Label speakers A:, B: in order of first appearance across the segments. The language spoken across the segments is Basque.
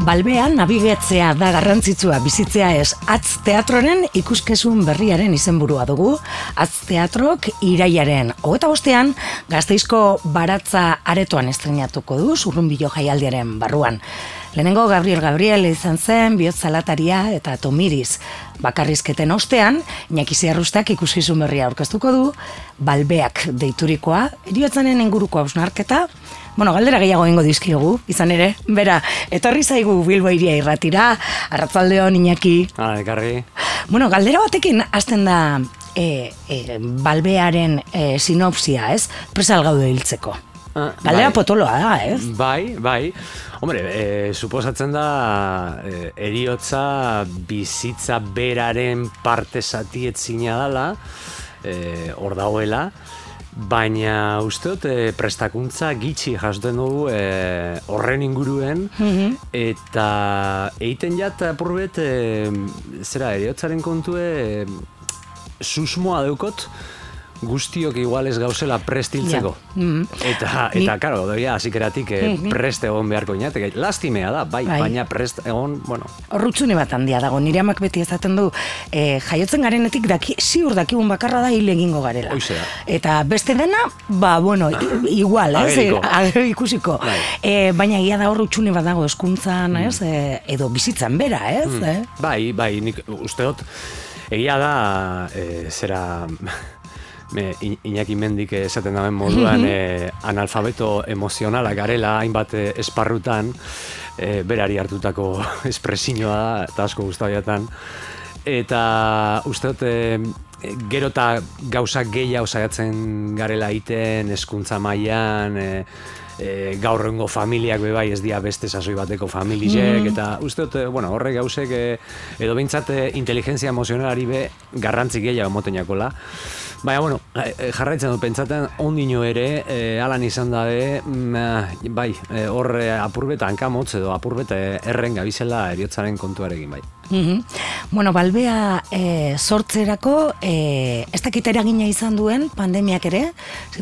A: Balbean nabigatzea da garrantzitsua, bizitzea ez. Atz teatroren ikuskizun berriaren izenburua dugu. Atz teatrok irailaren 25ean Gasteizko Baratza aretoan estreinatuko du, Zurrunbilo jaialdiaren barruan. Lehenengo Gabriel izan zen, bihotz-zalataria eta Tomiriz. Bakarrizketen ostean, Iñaki Ziarrustak ikuskizun berria aurkeztuko du, Balbeak deiturikoa, heriotzaren inguruko hausnarketa. Galdera gehiago egingo dizkiogu, izan ere, bera, etorri zaigu Bilbo Hiria irratira, arratsaldeon Iñaki.
B: Ekarri.
A: Galdera batekin hasten da Balbearen sinopsia, ez? Presal gaude hiltzeko. Galdera potoloa da, ez?
B: Bai. Hombre, suposatzen da heriotza bizitza beraren parte zatietzina dela, hor dagoela, baina uste dut prestakuntza gitxi jasoten dugu horren inguruen, eta egiten jat apurbet heriotzaren kontue susmoa deukot guztiok igual ez gauzela prest hiltzeko. Eta karo, doia, azikeratik prest egon beharko inateke. Lastimea da, baina prest egon,
A: Horrutzune bat handia dago, nire amak beti ezaten du, jaiotzen garenetik ziur dakigun bakarra da hil egingo garela.
B: Oizea.
A: Eta beste dena, igual, ikusiko. Baina egia da horrutzune bat dago eskuntzan, edo bizitzan bera, ez?
B: Bai, nik uste dut, egia da, Iñaki Mendik esaten daben moduan analfabeto emozionala garela hainbat esparrutan berari hartutako espresioa da eta asko guztabiatan eta uste dut gero eta gauzak gehiago saiatzen garela egiten hezkuntza mailan gaurrengo familiak bebai ez dira beste sasoi bateko familiek eta uste dut, horrek gauzek edo behintzat inteligentzia emozionalari be garrantzi gehiago emoten jakola. Baina, jarraitzen dut pentsaten ondino ere, alan izan dabe, hor apurbeta hankamotz edo apurbeta erren gabizela heriotzaren kontuarekin, bai.
A: Balbea sortzerako ez dakit eragina izan duen pandemiak ere,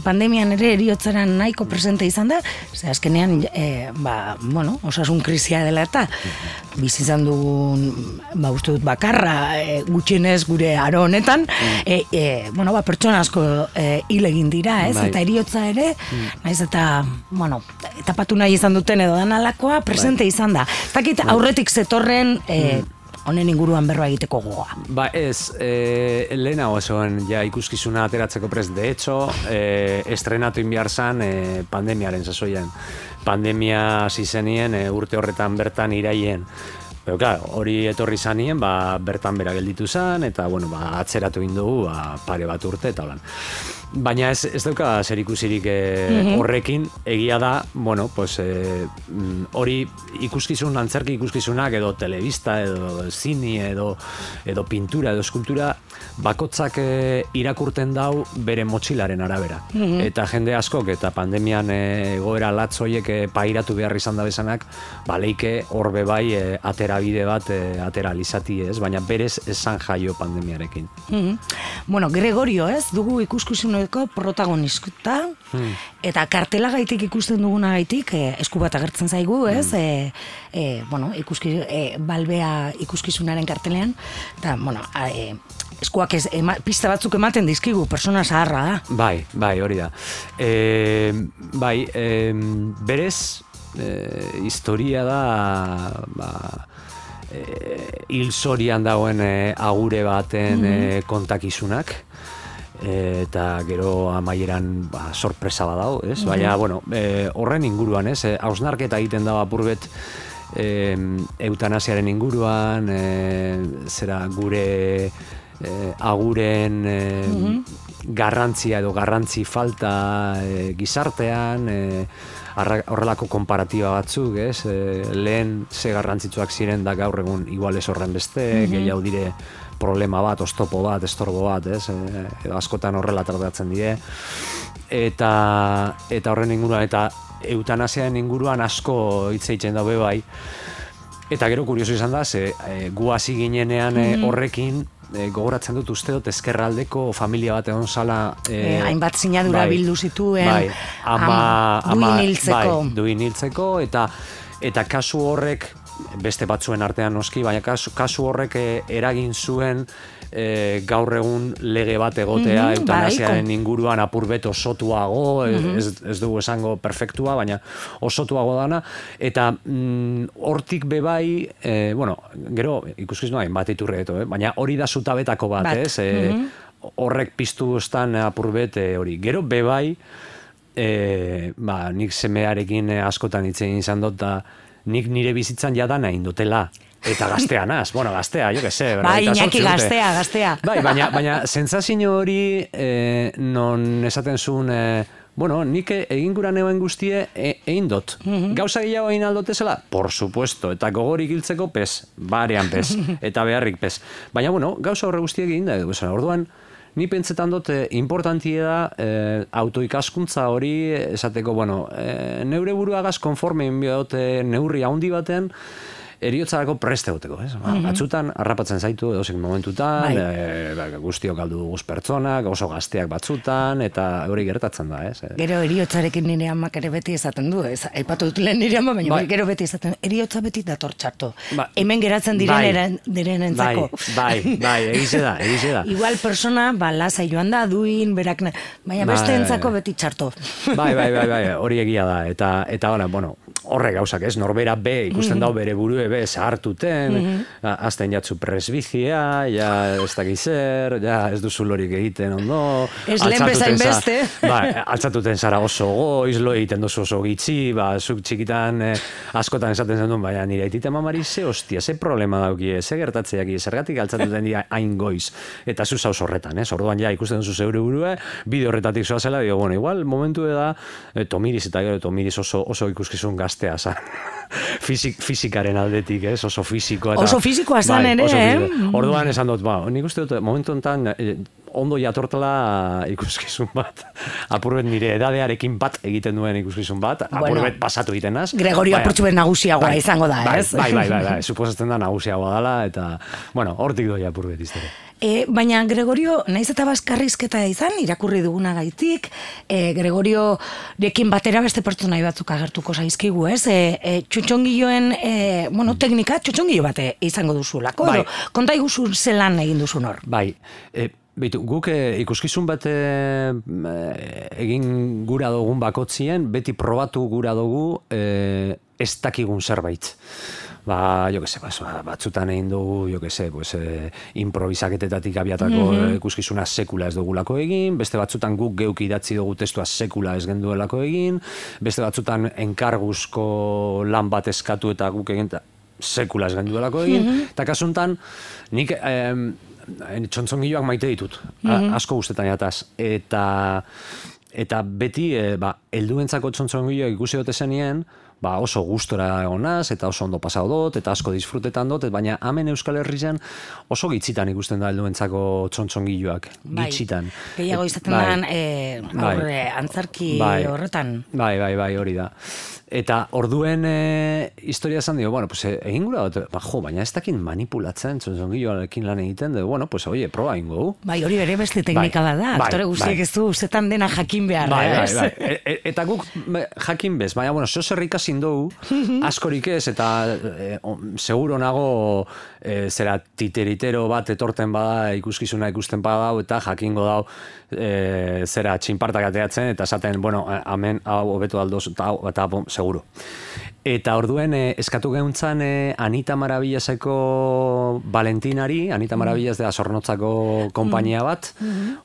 A: pandemian ere heriotzaren nahiko presente izan da, azkenean, osasun krisia dela eta bizi izan dugun, uste dut bakarra, gutxienez gure aro honetan, pertsona asko hil egin dira, ez? Eta heriotza ere, naiz eta, tapatu nahi izan duten edo danalakoa, presente izan da. Ez dakit aurretik zetorren honen inguruan berroa egiteko gogoa.
B: Lehenago esoen ja ikuskizuna ateratzeko prest. De hecho, estrenatu inbiar zan pandemiaren sasoian. Pandemia zizenien urte horretan bertan iraien. Pero claro, hori etorri zanien, bertan bera gelditu zan, eta atzeratu indugu pare bat urte eta holan. Baina ez dauka zer ikusirik horrekin, egia da, hori ikuskizun, antzerki ikuskizunak edo telebista, edo zini, edo pintura, edo eskultura, bakotzak irakurten dau bere motxilaren arabera. Eta jende askok eta pandemian egoera latz horiek pairatu behar izan da bezanak, leike horbe bai aterabide bat ateralizati ez, baina berez esan jaio pandemiarekin.
A: Gregorio ez, dugu ikuskizuneko protagonista, eta kartelagaitik ikusten dugunagaitik esku bat agertzen zaigu, ez? Balbea ikuskizunaren kartelean, eta, eskuak pista batzuk ematen dizkigu, persona zaharra da.
B: Bai, hori da. Berez, historia da, hil zorian dagoen agure baten kontakizunak, eta gero amaieran sorpresa badau, ez? Baina, horren inguruan, ez? Hausnarketa egiten dago apurbet eutanasiaren inguruan, gure aguren garrantzia edo garrantzi falta gizartean, horrelako konparatiba batzuk, ez? Lehen ze garrantzitsuak ziren da gaur egun igual ez horren beste, gehiago dire problema bat, oztopo bat, estorbo bat, ez? Edo askotan horrela tratatzen dire. Eta horren inguruan, eta eutanasiaren inguruan asko hitz egiten daube bai. Eta gero kurioso izan da, gu hasi ginenean horrekin, gogoratzen dut uste dut ezkerraldeko familia bat egon zala
A: hainbat sinadura bildu zituen duin hiltzeko
B: eta kasu horrek beste batzuen artean noski, baina kasu horrek eragin zuen gaur egun lege bat egotea eutanasiaren inguruan apurbet osotuago, ez dugu esango perfektua, baina osotuago dana, eta hortik bebai, gero ikuskizun bat iturre baina hori da zutabetako bat, ez? Horrek piztu estan apurbet hori. Gero bebai, nik semearekin askotan hitz egin izan dut, nik nire bizitzan jadana indutela. Eta gazteanaz, gaztea, jo que se.
A: Bai, Iñaki, gaztea.
B: Bai, baina sentsazio hori non esaten zuen, nik egin gura neuen guztie egin dot. Gauza gehiago egin aldotezela? Por supuesto, eta gogorik hiltzeko pez, barean pez, eta beharrik pez. Baina, gauza horre guztiek egin da, orduan, ni pentsetan dut importantia da autoikaskuntza hori esateko, neure buruagaz konforme inbiot neurri handi batean, eriotzarako preste goteko, ez? Batzutan, harrapatzen zaitu edozein momentutan, guztiok galdu guz pertsonak, oso gazteak batzutan, eta hori gertatzen da, ez?
A: Gero eriotzarekin nire amak ere beti esaten du, ez? Aipatu dut lehen nire ama, baina gero beti esaten, eriotza beti dator txarto. Hemen geratzen direnentzako.
B: Bai, egize da.
A: Igual persona, lasai joan da, duin, berak, baina beste entzako beti txarto.
B: Bai, hori egia da, eta horre gauzak, ez? Norbera be, ikusten dau bere burue be, zahartuten, azten jatzu presbizia, ja ez dakizer, ja ez duzu lorik egiten ondo.
A: Ez lehen bezain beste.
B: Altzatuten zara oso goiz, lo egiten duzu oso gitxi, zuk txikitan askotan esaten zen duen, baina nire aitite mamari ze problema daukie, ze gertatzeak, zergatik altzatuten dira hain goiz, eta zu zauz horretan, ez? Orduan ja ikusten duzu zeure burue, bide horretatik zoazela, igual momentu da, Tomiriz eta gero Tomiriz oso ikuskizun gaztea zan. Fizikaren aldetik, ez? Oso fizikoa.
A: Oso fizikoa zan ere,
B: Orduan esan dut, nik uste dut, momentu enten ondo jatortela ikuskizun bat. Apurbet nire edadearekin bat egiten duen ikuskizun bat, apurbet pasatu egiten naz.
A: Gregorio apurtxubet nagusiagoa izango da, ez?
B: Bai, suposatzen da nagusiagoa dela, eta, hortik doi apurbet iztere.
A: Baina Gregorio, naiz eta bazkarrizketa izan, irakurri duguna gaitik, Gregoriorekin batera beste pertsonai batzuk agertuko zaizkigu, ez? Txotxongilloen, teknika, txotxongillo bate izango duzulako, edo, konta iguzu zelan egin duzun hor?
B: Bai, guk ikuskizun bat egin gura dugun bakotzien, beti probatu gura dugu ez dakigun zerbait. Batzutan egin dugu, improvisaketetatik abiatako ikuskizuna sekula ez dugulako egin, beste batzutan guk geuk idatzi dugu testua sekula ez genduelako egin, beste batzutan enkarguzko lan bat eskatu eta guk egin sekula ez genduelako egin, eta kasuntan nik txontzongiloak maite ditut, asko guztetan jataz, eta beti helduentzako txontzongiloak ikusi dut esenien, oso gustora egonaz, eta oso ondo pasau dut, eta asko disfrutetan dut, baina hemen Euskal Herrian oso gitzitan ikusten da helduentzako txontzongiloak, gitzitan.
A: Gehiago izaten da, antzarki horretan.
B: Bai, hori da. Eta orduen historia esan dio, egin gura dut, baina ez dakin manipulatzen txontzongiloarekin lan egiten, proba ingo.
A: Bai, hori bere beste teknika da, aktore guztiek ez du, zetan dena jakin behar.
B: Bai. Eta guk jakin bez, baina, zer ikasin dugu, askorik ez, eta seguro nago zera titeritero bat etorten bada, ikuskizuna ikusten badau, eta jakingo dau zera txinpartak ateatzen, eta esaten, hemen hau hobeto aldoz, eta seguro. Eta orduen eskatu geuntzan Anita Maravillaseko Valentinari, Anita Maravillas da Zornotzako konpainia bat,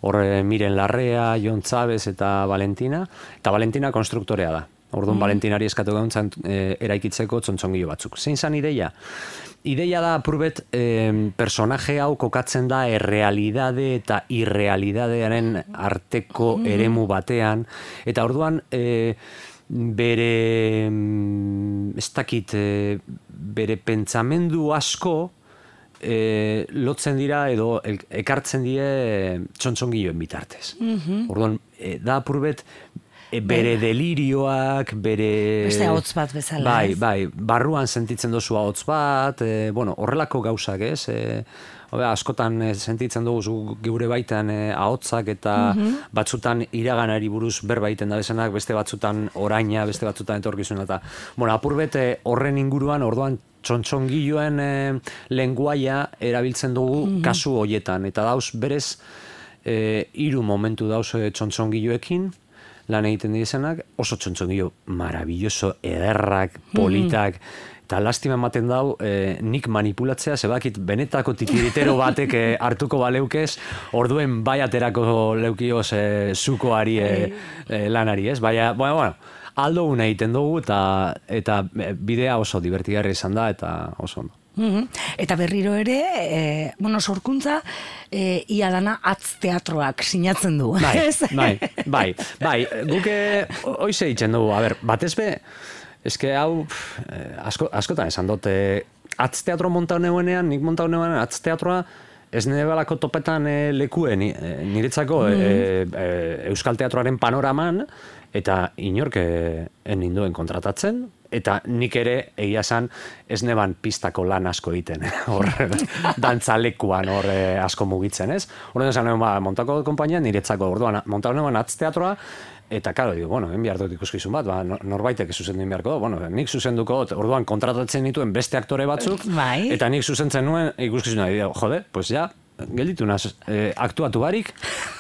B: hor Miren Larrea, Jon Txabez eta Valentina, eta Valentina konstruktorea da. Orduan Valentinari eskatu geuntzan eraikitzeko txontzongilo batzuk. Zein zan ideia? Ideia da apurbet personaje hau kokatzen da errealidade eta irrealidadearen arteko eremu batean, eta orduan bere ez dakit bere pentsamendu asko lotzen dira edo ekartzen die txontzongiloen bitartez. Orduan da apurbet bere delirioak, bere...
A: Beste ahotz bat bezala.
B: Bai, barruan sentitzen dozu ahotz bat, horrelako gauzak, ez? Askotan sentitzen dugu geure baitan ahotzak eta batzutan iraganari buruz berbaiten da bezanak, beste batzutan oraina, beste batzutan etorkizuna eta apurbet horren inguruan orduan txontxongiloen lenguaia erabiltzen dugu kasu hoietan, eta dauz berez 3 momentu dauz txontxongiloekin, lan egiten dizenak, oso txontxongilo maravilloso, ederrak, politak, eta lastima ematen dau, nik manipulatzea, zebakit benetako titiritero batek hartuko baleukez, orduen bai aterako leukioz zukoari lanari, ez? Baina, bueno, aldo una egiten dugu, eta bidea oso divertigarri izan da, eta oso ondo.
A: Eta berriro ere, sorkuntza, ia dana atz teatroak sinatzen du.
B: Bai, guke hoize ditzen dugu, batez be, eske hau, askotan esan dut, atz teatro montau neuenean, nik montau neuenean, atz teatroa, ez nebalako topetan lekuen, niretzako Euskal Teatroaren panoraman, eta inork ninduen kontratatzen, eta nik ere egia esan ez neban pistako lan asko egiten, hor dantzalekuan hor asko mugitzen, ez? Horren esan montako konpainia niretzako, orduan montako neban atz teatroa, eta karo, digo, behar dut ikuskizun bat, norbaitek zuzendu beharko du, nik zuzenduko dut, orduan kontratatzen dituen beste aktore batzuk, eta nik zuzentzen nuen ikuskizuna, jode, pues ja, gelditu naz, aktuatu barik,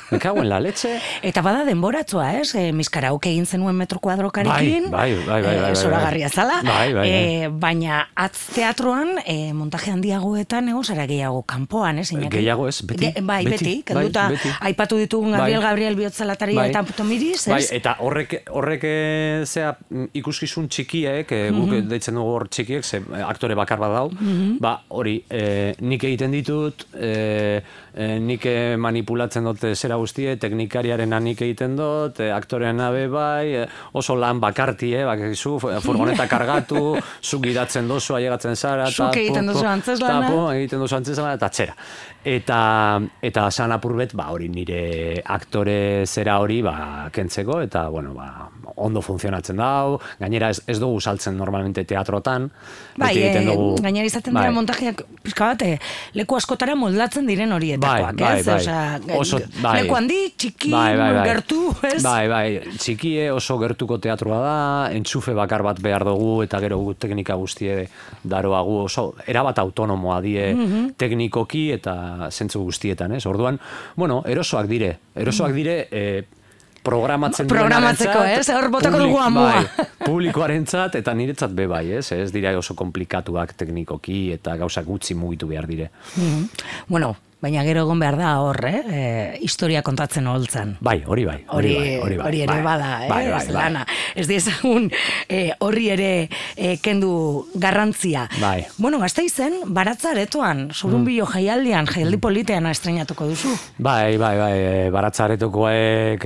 B: me cago en la leche.
A: Eta bada denboratzoa, ez? Miskarauk egin zenuen metro kuadrokarekin.
B: Bai.
A: Zoragarria zala. Baina atz teatroan, montaje handiagoetan, zara gehiago kanpoan, ez?
B: Gehiago ez, beti.
A: Beti, kenduta, aipatu ditugun Gabriel Bihotzalataria eta Tomiriz, ez?
B: Eta horrek zea ikuskizun txikiek, guk deitzen dugu hor txikiek, ze aktore bakar bat dau, hori, nik egiten ditut, nik manipulatzen dut zera guztie, teknikariaren nik egiten dut, aktorean nabe bai, oso lan bakarti, bakizu, furgoneta kargatu, zuk gidatzen dozu, ailegatzen zara,
A: zuk egiten dozu antzeslana,
B: egiten dozu antzeslana, eta txera. Eta san apurbet, hori nire aktore zera hori kentzeko, eta, ondo funtzionatzen dau, gainera ez dugu saltzen normalmente teatrotan,
A: gainera izaten dira montajeak, pizka bate, leku askotara moldatzen diren horietakoak, ez? Leku handi, txiki, gertu, ez?
B: Bai, txikie oso gertuko teatroa da, entxufe bakar bat behar dugu, eta gero teknika guztie daroagu, oso erabat autonomoa die teknikoki eta zentzu guztietan, ez? Orduan, erosoak dire
A: programatzeko, ez? Hor botako dugu amua.
B: Publikoarentzat eta niretzat be bai, ez? Ez dira oso komplikatuak teknikoki eta gauzak gutxi mugitu behar dire.
A: Baina gero egon behar da hor, historia kontatzen holtzan.
B: Bai, hori bai.
A: Hori ere bada, ez lana. Ez diezagun horri ere kendu garrantzia.
B: Bai.
A: Gasteizen, Baratza aretoan, Zurrunbilo jaialdian, jaialdi politean estrenatuko duzu.
B: Bai, Baratza aretokoek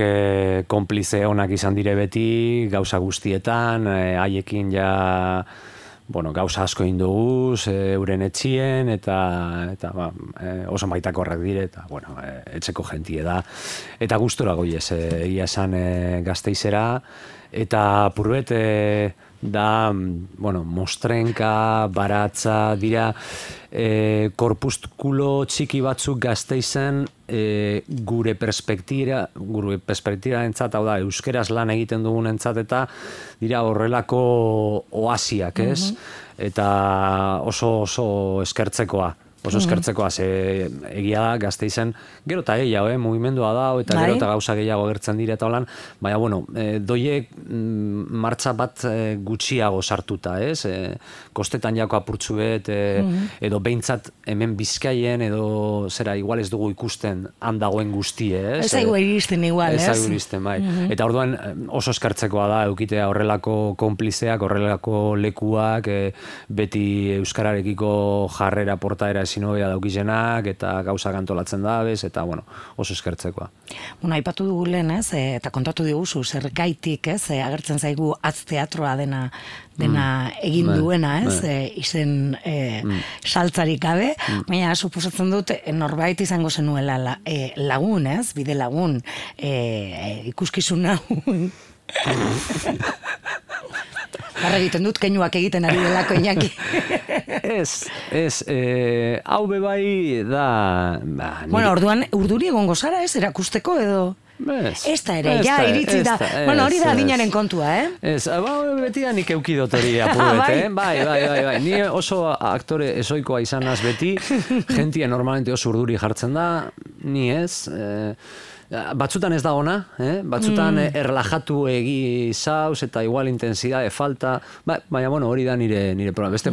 B: konplize onak izan dire beti, gauza guztietan, haiekin ja gauza asko induguz, euren etxien, eta oso maitakorrak dire, eta, etxeko jentie da. Eta gustora goiez, egia esan Gasteizera, eta purbet da, Mostrenka, Baratza, dira, korpuskulo txiki batzuk Gasteizen, gure perspektira entzat, hau da, euskeraz lan egiten dugun entzat, eta dira horrelako oasiak, ez? Eta oso eskertzekoa. Ze egia da Gasteizen, gero eta gehiago, mugimendua da, eta gero eta gauza gehiago agertzen dira eta holan, baina, doiek martxa bat gutxiago sartuta, ez? Kostetan jako apurtzu bet, edo behintzat hemen Bizkaien, edo zera, igual ez dugu ikusten handagoen guztie, ez?
A: Ez aigu iristen igual, ez?
B: Ez aigu iristen, bai. Eta orduan oso eskartzekoa da, eukitea horrelako konplizeak, horrelako lekuak, beti euskararekiko jarrera portaera sinobea daukizenak, eta gauzak antolatzen dabez, eta, oso eskertzekoa.
A: Aipatu dugu lehen, ez, eta kontatu diguzu, zergaitik, ez, agertzen zaigu atz teatroa dena egin duena, ez, izen saltzarik gabe, baina suposatzen dut norbait izango zenuela lagun, ez, bide lagun, ikuskizun hau. Garra egiten dut, keinuak egiten ari delako Iñaki.
B: Hau bebai da...
A: Orduan, urduri egongo zara, ez, erakusteko edo... Ez da ere, ja, iritzi da. Bueno, hori da adinaren kontua,
B: Ez, beti da nik eukidot hori apurbet, Bai. Ni oso aktore ezoikoa izanaz beti, jentia normalmente oso urduri jartzen da, ni ez, batzutan ez da ona, batzutan erlajatu egi zauz eta igual intensidade falta, baina bueno, hori da nire problema. Beste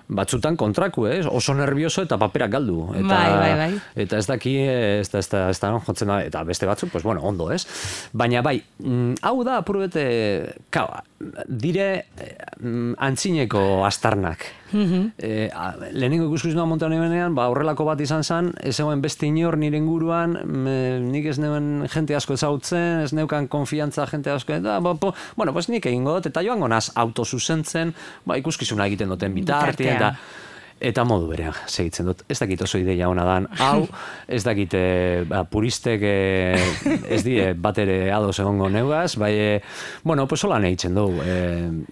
B: batzutan kontraku, oso nervioso eta paperak galdu.
A: Bai.
B: Eta ez daki, ez da jotzen da, eta beste batzuk, pues bueno, ondo, ez? Baina bai, hau da, apurbete, dire antzineko astarnak. Lehenengo ikuskizuna montan ebenean, horrelako bat izan zen, ez egoen beste inor nire inguruan, nik ez neuen jente asko ezagutzen, ez neukan konfiantza jente asko, bueno, pues nik egingo dut, eta joango naz autozuzentzen, ikuskizuna egiten duten bitartien, eta modu berean segitzen dut. Ez dakit oso ideia hona dan, hau, ez dakit puristek ez die bat ere ados egongo neugaz, bueno, pues holan egiten dugu.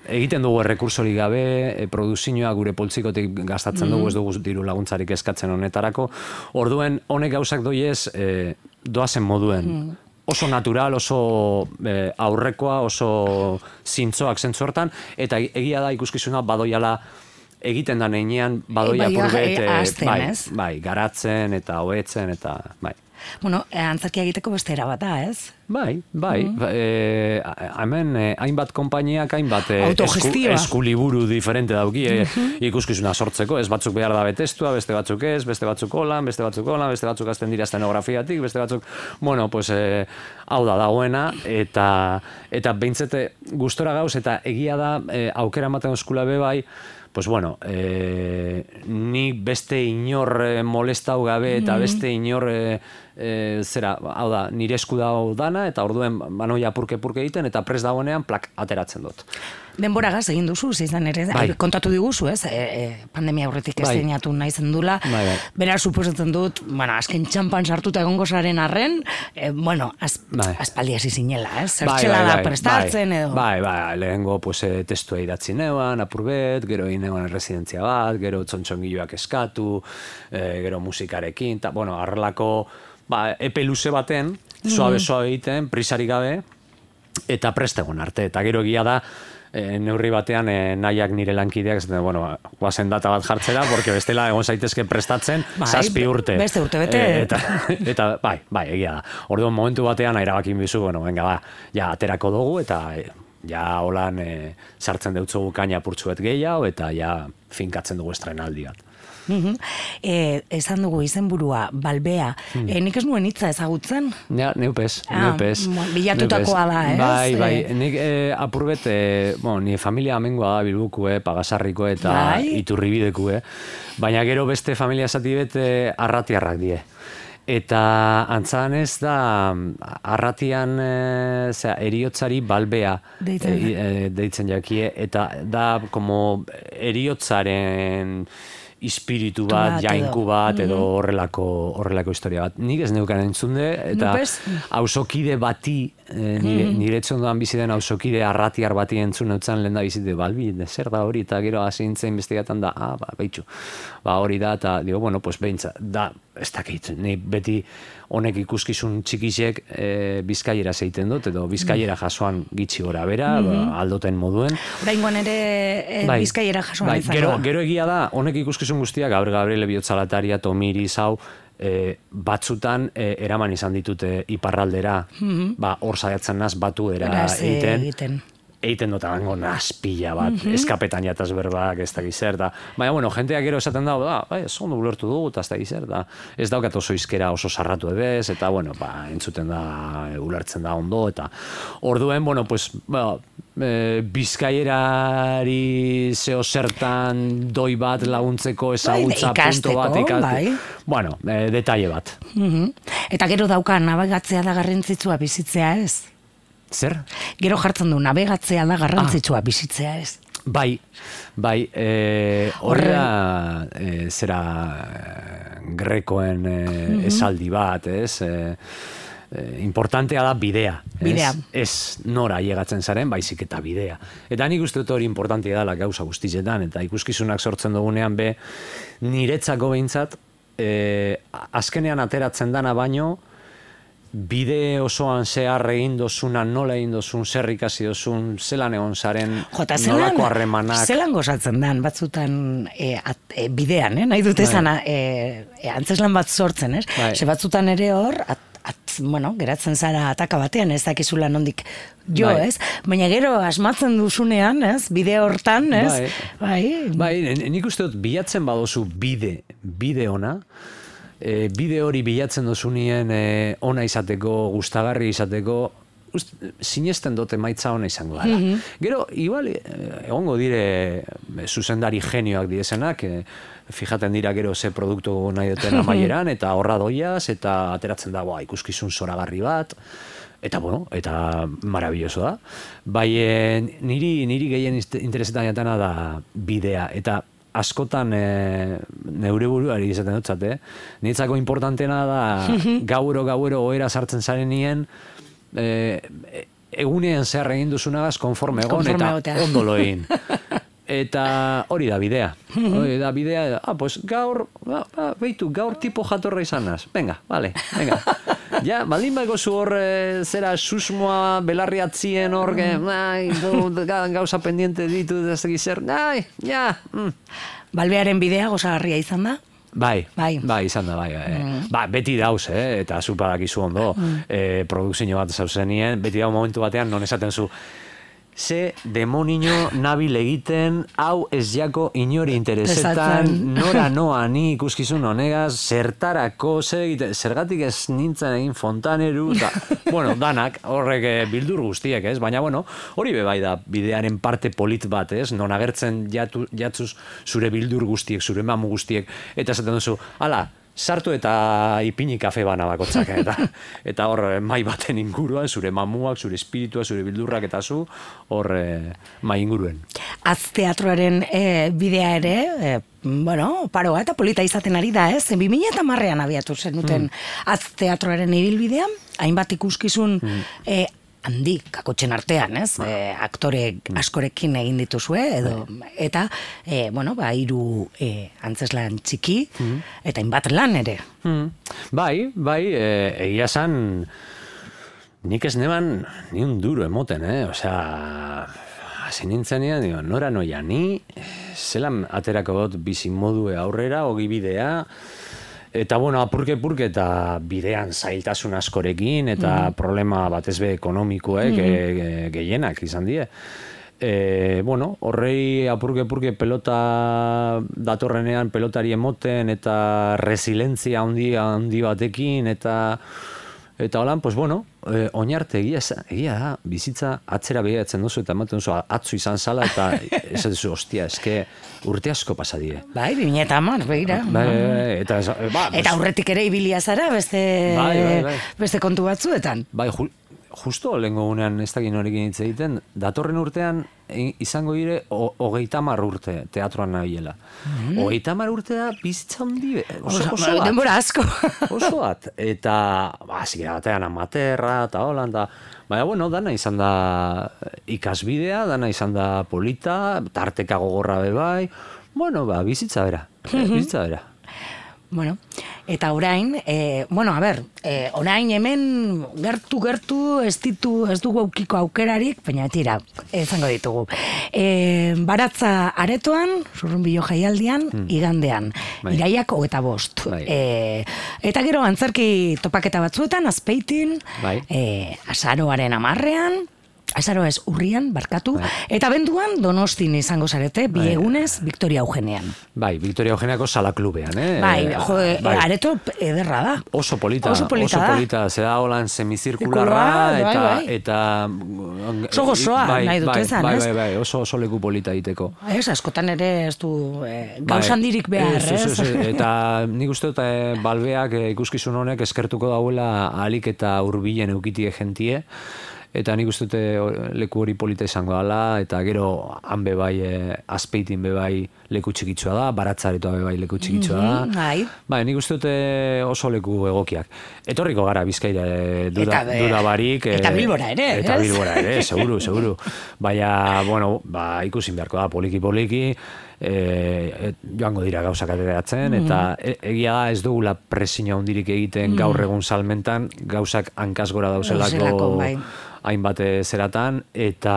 B: Egiten dugu errekursori gabe, produzioa gure poltsikotik gastatzen dugu, ez dugu diru laguntzarik eskatzen honetarako. Orduen, honek gauzak doiez, doazen moduen. Oso natural, oso aurrekoa, oso zintzoak zentzuertan, eta egia da ikuskizuna badoiala egiten da neinean badoia purbet, garatzen eta hoetzen eta bai.
A: Bueno, antzakia egiteko beste era bat da, ez?
B: Bai. Hemen hainbat konpainiak, hainbat eskuliburu diferente dauki ikuskizuna sortzeko, ez batzuk behar da betestua, beste batzuk ez, beste batzuk holan, beste batzuk azten dira estenografiatik, beste batzuk, bueno, pues hau da dagoena, eta behintzete gustora gauz, eta egia da aukera ematen eskula be bai, pues bueno, ni beste inor molestau gabe eta beste inor hau da, nire esku dago dana, eta orduen banoia purke egiten, eta prest dagoenean plak ateratzen dut.
A: Denbora gaz egin duzu, izan ere, kontatu diguzu, ez? Pandemia aurretik esteinatu nahi zendula. Bera, suposatzen dut, azken txampan sartuta egongo zaren arren, aspaldi hasi zinela, ez? Zertxela da prestatzen edo.
B: Lehengo testua idatzi neuan, apurbet, gero egin neuan residentzia bat, gero txontxongiloak eskatu, gero musikarekin, eta, arrelako epe luze baten, suabe egiten, prisari gabe, eta prestegon arte. Eta gero egia da, neurri batean nahiak nire lankideak, guazen data bat jartzera, porque bestela egon zaitezke prestatzen 7 urte.
A: Beste urte bete.
B: Eta egia da. Orduan momentu batean erabakin bizu, ja aterako dugu, eta ja holan sartzen deutzugu kaina purtsuet gehiago, eta ja finkatzen dugu estrenaldi bat.
A: Esan dugu izenburua, Balbea. Nik ez nuen hitza ezagutzen?
B: Ja, neupez.
A: Bilatutakoa da, ez?
B: Bai. Nik apurbet, nire familia amengoa da Bilbuko, Pagasarriko eta Iturribideko, baina gero beste familia zati bet arratiarrak die. Eta antzan ez da arratian eriotzari Balbea deitzen jakie, eta da como eriotzaren espiritu bat, jainku bat, edo horrelako historia bat. Nik ez neukan entzunde, eta hausokide bati, nire etxondoan bizi den hausokide arratiar bati entzun neutzen lehen da bizite, Balbi, zer da hori, eta gero hasi nintzen investigatan da, behitxu, hori da, eta digo, pues behintza, da, ez dakit, ni beti honek ikuskizun txikisek bizkaiera zeiten dut, edo bizkaiera jasoan gitxi gora bera, aldoten moduen.
A: Oraingoan ere bizkaiera jasoan izango da.
B: Gero egia da, honek ikuskizun guztiak, Gabriele Bihotzalataria, Tomiri, Zau, batzutan eraman izan ditute iparraldera, hor saiatzen naz batu egiten. Eiten dut abango nazpila bat, eskapetan jataz berbak, ez da gizer, da. Baina, jenteak gero esaten dago, ez ondo ulertu dugu, eta ez da gizer, da. Ez daukat oso izkera oso sarratu edez, eta, entzuten da, ulertzen da ondo, eta orduen, bizkaierari zeo zertan doi bat laguntzeko ezagutza punto bat ikasteko. Detaile bat.
A: Eta gero dauka nabegatzea da garrantzitsua bizitzea ez?
B: Zer?
A: Gero jartzen du, nabegatzea da garrantzitsua bizitzea ez?
B: Bai, horra zera grekoen esaldi bat, ez? Importantea da bidea. Ez nora llegatzen zaren, baizik eta bidea. Eta nik uste dut hori importantea dela gauza guztizetan, eta ikuskizunak sortzen dugunean be, niretzako behintzat, azkenean ateratzen dana baino, bide osoan zehar egin dozuna, nola egin dozun, zer ikasi dozun, zelan egon zaren, nolako harremanak.
A: Zelan gozatzen dan, batzutan bidean, nahi dut esan, antzeslan bat sortzen, ze batzutan ere hor, geratzen zara ataka batean, ez dakizula nondik jo, ez? Baina gero asmatzen duzunean, ez? Bide hortan, ez?
B: Bai, nik uste dut bilatzen badozu bide ona, bide hori bilatzen dozunien ona izateko, gustagarri izateko, sinesten dut emaitza ona izango dela. Gero, igual, egongo dire zuzendari genioak direzenak, fijaten dira gero ze produktu nahi duten amaieran, eta horra doiaz, eta ateratzen da, ikuskizun zoragarri bat, eta eta marabilloso da. Bai, niri gehien interesetan jatana da bidea, eta askotan neure buruari izaten dutzat, niretzako importantena da gauero ohera sartzen zaren nien, egunean zehar egin duzunagaz konforme egon eta ondolo egin. Eta hori da bidea. Pues gaur, beitu, gaur tipo jatorra izanaz. Venga. Ja, baldin baiko zu hor zera susmoa belarriatzien hor, gauza pendiente ditu dezegi zer,
A: Balbearen bidea gozagarria izan da?
B: Bai, izan da, beti dauz, eta zupadakizu ondo, produkzio bat zauzenien, beti dau momentu batean, non esaten zu, ze demonio nabil egiten, hau ez jako inori interesetan, nora noa ni ikuskizun honegaz, zertarako, zergatik ez nintzen egin fontaneru, danak, horrek bildur guztiek, ez? Baina, hori bebai da bidearen parte polit bat, ez? Non agertzen jatzuz zure bildur guztiek, zure mamu guztiek, eta esaten duzu, ala, sartu eta ipini kafe bana bakotzak, eta hor mai baten inguruan, zure mamuak, zure espiritua, zure bildurrak eta zu, hor mai inguruen.
A: Teatroaren bidea ere, paroa eta polita izaten ari da, ez? 2010an abiatu zenuten teatroaren ibilbidea, hainbat ikuskizun handi, kakotxen artean, ez? Aktore askorekin egin dituzue, eta, 3 antzeslan txiki, eta hainbat lan ere.
B: Bai, egia zan, nik ez neban ni un duro emoten, osea, hasi nintzenean, nora noia ni, zelan aterako dut bizimodue aurrera, ogi bidea, eta, apurke eta bidean zailtasun askorekin, eta problema batez be ekonomikoek gehienak izan die. Horrei apurke pelota datorrenean pelotari emoten, eta resilientzia handi batekin, eta holan, oinarte egia da, bizitza atzera begiratzen duzu, eta ematen duzu atzu izan zala, eta ez duzu, ostia, eske urte asko pasadie.
A: Bai, 2010, begira. Eta aurretik ere ibilia zara, beste kontu batzuetan.
B: Bai, justo lehengo gunean ez dakit norekin hitz egiten, datorren urtean izango dire 30 urte teatroan nabilela. 30 urte da bizitza handi, oso bat.
A: Denbora asko.
B: Oso bat. Eta, zikera batean amaterra, eta holan, baina, dana izan da ikasbidea, dana izan da polita, tarteka gogorra bebai, bizitza bera. Bizitza bera.
A: Eta orain, orain hemen gertu ez dugu aukiko aukerarik, baina tira, izango ditugu. Baratza aretoan, Zurrunbilo jaialdian, igandean, iraiak 25. Eta gero antzerki topaketa batzuetan, Azpeitin, azaroaren 10ean, azaroa ez urrian, barkatu, eta benduan Donostin izango zarete, bi egunez, Victoria Eugenean.
B: Bai, Victoria Eugeneako sala klubean,
A: areto ederra da.
B: Oso polita, zeda holan semizirkularra, eta...
A: Oso gozoa, nahi dut ezan, ez?
B: Bai, oso leku polita egiteko.
A: Ez, askotan ere ez du gauzandirik behar, ez?
B: Eta nik uste dut balbeak ikuskizun honek eskertuko dauela ahalik eta hurbilen eukitie jentie, eta nik uste dute leku hori polita izango dela, eta gero han bebai, Azpeitin bebai leku txikitsua da, Baratzaretoa bai leku txikitsua da. Bai, nik uste dute oso leku egokiak. Etorriko gara Bizkaira duda barik.
A: Eta Bilbora ere, ez?
B: Eta Bilbora ere, seguru. Baina, bueno, ikusin beharko da, poliki, joango dira gauzak ateratzen, eta egia da ez dugula presio handirik egiten gaur egun salmentan, gauzak hankaz gora dauzelako hainbat zeratan, eta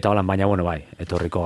B: holan, baina, bueno, bai, etorriko